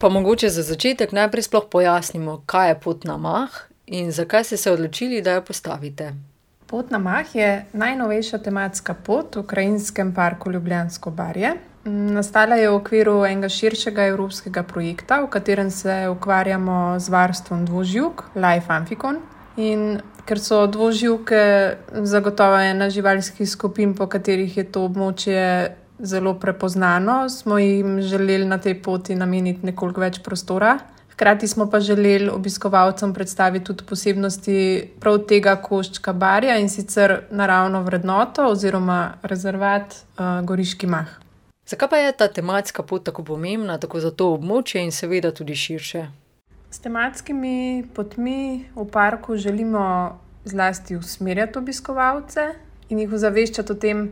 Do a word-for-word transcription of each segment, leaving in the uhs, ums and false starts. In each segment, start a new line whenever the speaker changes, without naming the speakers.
Pa mogoče za začetek najprej sploh pojasnimo, kaj je pot na Mah in zakaj ste se odločili, da jo postavite.
Pot na Mah je najnovejša tematska pot v Krajinskem parku Ljubljansko barje. Nastala je v okviru enega širšega evropskega projekta, v katerem se ukvarjamo z varstvom dvoživk, Life Amphibian. In ker so dvoživke zagotovo ena živalskih skupin, po katerih je to območje zelo prepoznano, smo jim želeli na tej poti nameniti nekoliko več prostora. Hkrati smo pa želeli obiskovalcem predstaviti tudi posebnosti prav tega koščka barja, in sicer naravno vrednoto oziroma rezervat uh, Goriški Mah.
Zakaj pa je ta tematska pot tako pomembna, tako za to območje in seveda tudi širše?
S tematskimi potmi v parku želimo zlasti usmerjati obiskovalce in jih ozaveščati o tem,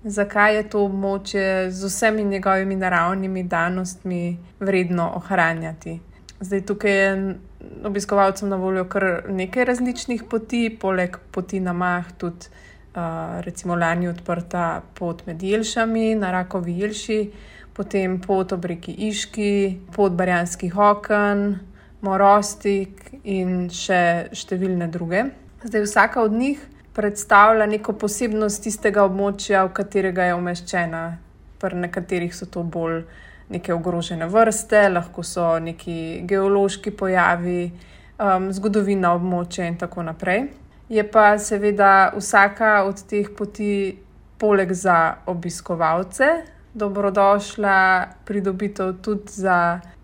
zakaj je to območje z vsemi njegovimi naravnimi danostmi vredno ohranjati. Zdaj, tukaj je obiskovalcem na voljo kar nekaj različnih poti, poleg poti na Mah tudi uh, recimo lani odprta pot med Jelšami na Rakovi Jelši, potem pot ob reki Iški, pot Barjanskih oken, Morostik in še številne druge. Zdaj, vsaka od njih predstavlja neko posebnost tistega območja, v katerega je umeščena. Pri nekaterih so to bolj neke ogrožene vrste, lahko so neki geološki pojavi, um, zgodovina območja in tako naprej. Je pa seveda vsaka od teh poti poleg za obiskovalce dobrodošla pridobitev tudi za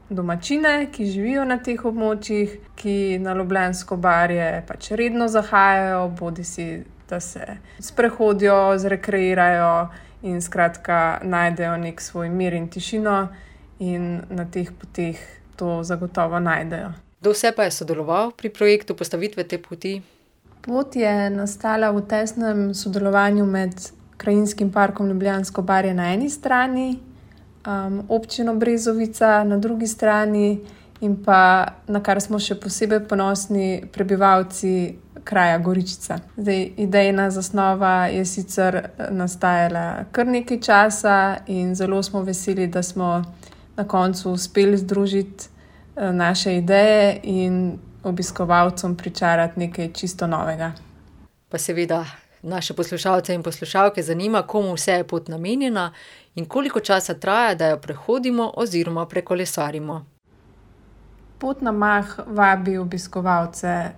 domačine, ki živijo na teh območjih, ki na Ljubljansko barje pač redno zahajajo, bodisi da se sprehodijo, zrekreirajo in skratka najdejo nek svoj mir in tišino, in na teh poteh to zagotovo najdejo.
Kdo vse pa je sodeloval pri projektu postavitve te poti?
Pot je nastala v tesnem sodelovanju med Krajinskim parkom Ljubljansko barje na eni strani, Um, občino Brezovica na drugi strani in pa, na kar smo še posebej ponosni, prebivalci kraja Goričica. Zdaj, idejna zasnova je sicer nastajala kar nekaj časa in zelo smo veseli, da smo na koncu uspeli združiti naše ideje in obiskovalcem pričarati nekaj čisto novega.
Pa seveda naše poslušalce in poslušalke zanima, komu vse je pot namenjena in koliko časa traja, da jo prehodimo oziroma prekolesarimo.
Pot na Mah vabi obiskovalce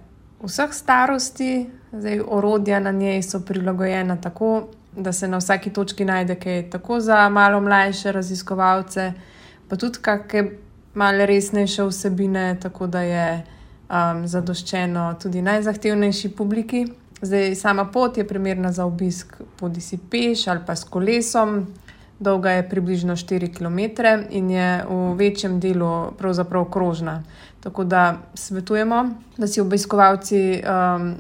vseh starosti. Zdaj, orodja na njej so prilagojena tako, da se na vsaki točki najde kaj tako za malo mlajše raziskovalce, pa tudi kakšne malo resnejše vsebine, tako da je um, zadoščeno tudi najzahtevnejši publiki. Zdaj, sama pot je primerna za obisk bodisi peš ali pa s kolesom. Dolga je približno štiri kilometre in je v večjem delu pravzaprav krožna. Tako da svetujemo, da si obiskovalci um,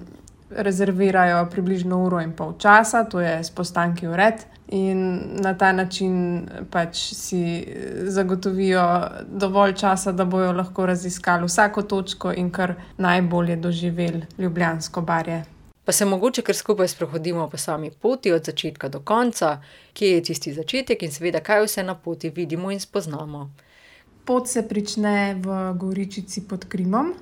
rezervirajo približno uro in pol časa, to je s postanki vred, in na ta način pač si zagotovijo dovolj časa, da bojo lahko raziskali vsako točko in kar najbolje doživeli Ljubljansko barje.
Pa se mogoče kar skupaj sprehodimo po sami poti od začetka do konca, kje je tisti začetek in seveda kaj vse na poti vidimo in spoznamo.
Pot se prične v Goričici pod Krimom,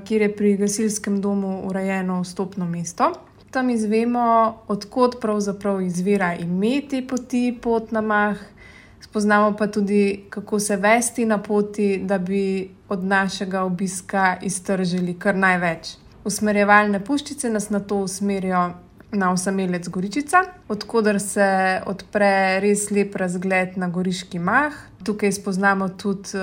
kjer je pri gasilskem domu urejeno vstopno mesto. Tam izvemo, od kod pravzaprav izvira ime te poti, pot na Mah. Spoznamo pa tudi, kako se vesti na poti, da bi od našega obiska iztržili kar največ. Usmerjevalne puščice nas nato usmerijo na osamelec Goričica, od koder se odpre res lep razgled na Goriški Mah. Tukaj spoznamo tudi,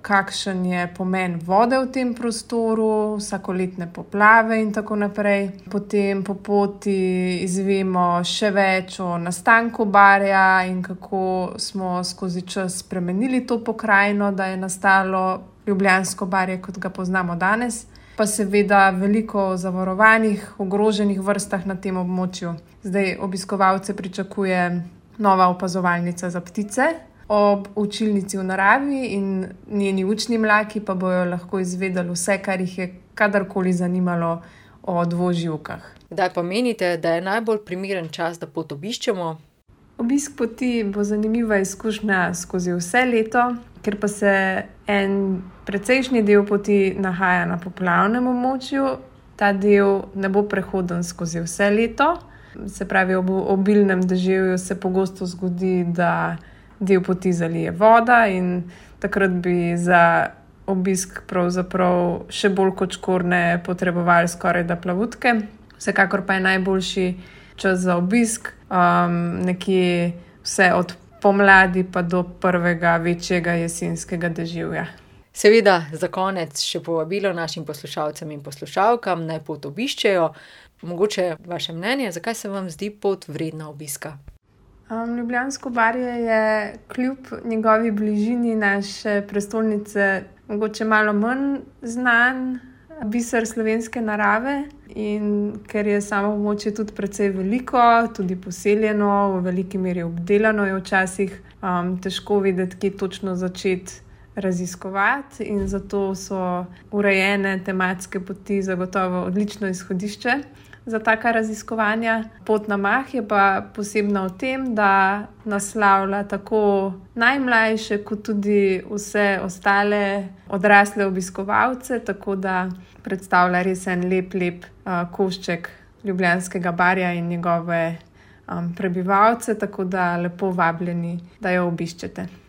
kakšen je pomen vode v tem prostoru, vsakoletne poplave in tako naprej. Potem po poti izvemo še več o nastanku barja in kako smo skozi čas spremenili to pokrajino, da je nastalo Ljubljansko barje, kot ga poznamo danes. Pa seveda veliko zavarovanih, ogroženih vrstah na tem območju. Zdaj obiskovalce pričakuje nova opazovalnica za ptice ob učilnici v naravi in njeni učni mlaki pa bojo lahko izvedeli vse, kar jih je kadarkoli zanimalo o dvoživkah.
Kdaj pa menite, da je najbolj primeren čas, da pot obiščemo?
Obisk poti bo zanimiva izkušnja skozi vse leto. ker pa se en precejšnji del poti nahaja na poplavnem območju, ta del ne bo prehoden skozi vse leto. Se pravi, ob obilnem deževju se pogosto zgodi, da del poti zalije voda in takrat bi za obisk pravzaprav še bolj kot škornje potrebovali skoraj da plavutke. Vsekakor pa je najboljši čas za obisk um, nekje vse od pomladi pa do prvega večjega jesenskega deževja.
Seveda, za konec še povabilo našim poslušalcem in poslušalkam, naj pot obiščejo. Mogoče vaše mnenje, zakaj se vam zdi pot vredna obiska?
Um, Ljubljansko barje je kljub njegovi bližini naše prestolnice mogoče malo manj znan biser slovenske narave in ker je samo območje tudi precej veliko, tudi poseljeno, v veliki meri obdelano, je včasih um, težko vedeti, kje točno začeti raziskovati in zato so urejene tematske poti zagotovo odlično izhodišče za taka raziskovanja. Pot na Mah je pa posebna v tem, da naslavlja tako najmlajše kot tudi vse ostale odrasle obiskovalce, tako da predstavlja res en lep, lep uh, košček Ljubljanskega barja in njegove um, prebivalce, tako da lepo vabljeni, da jo obiščete.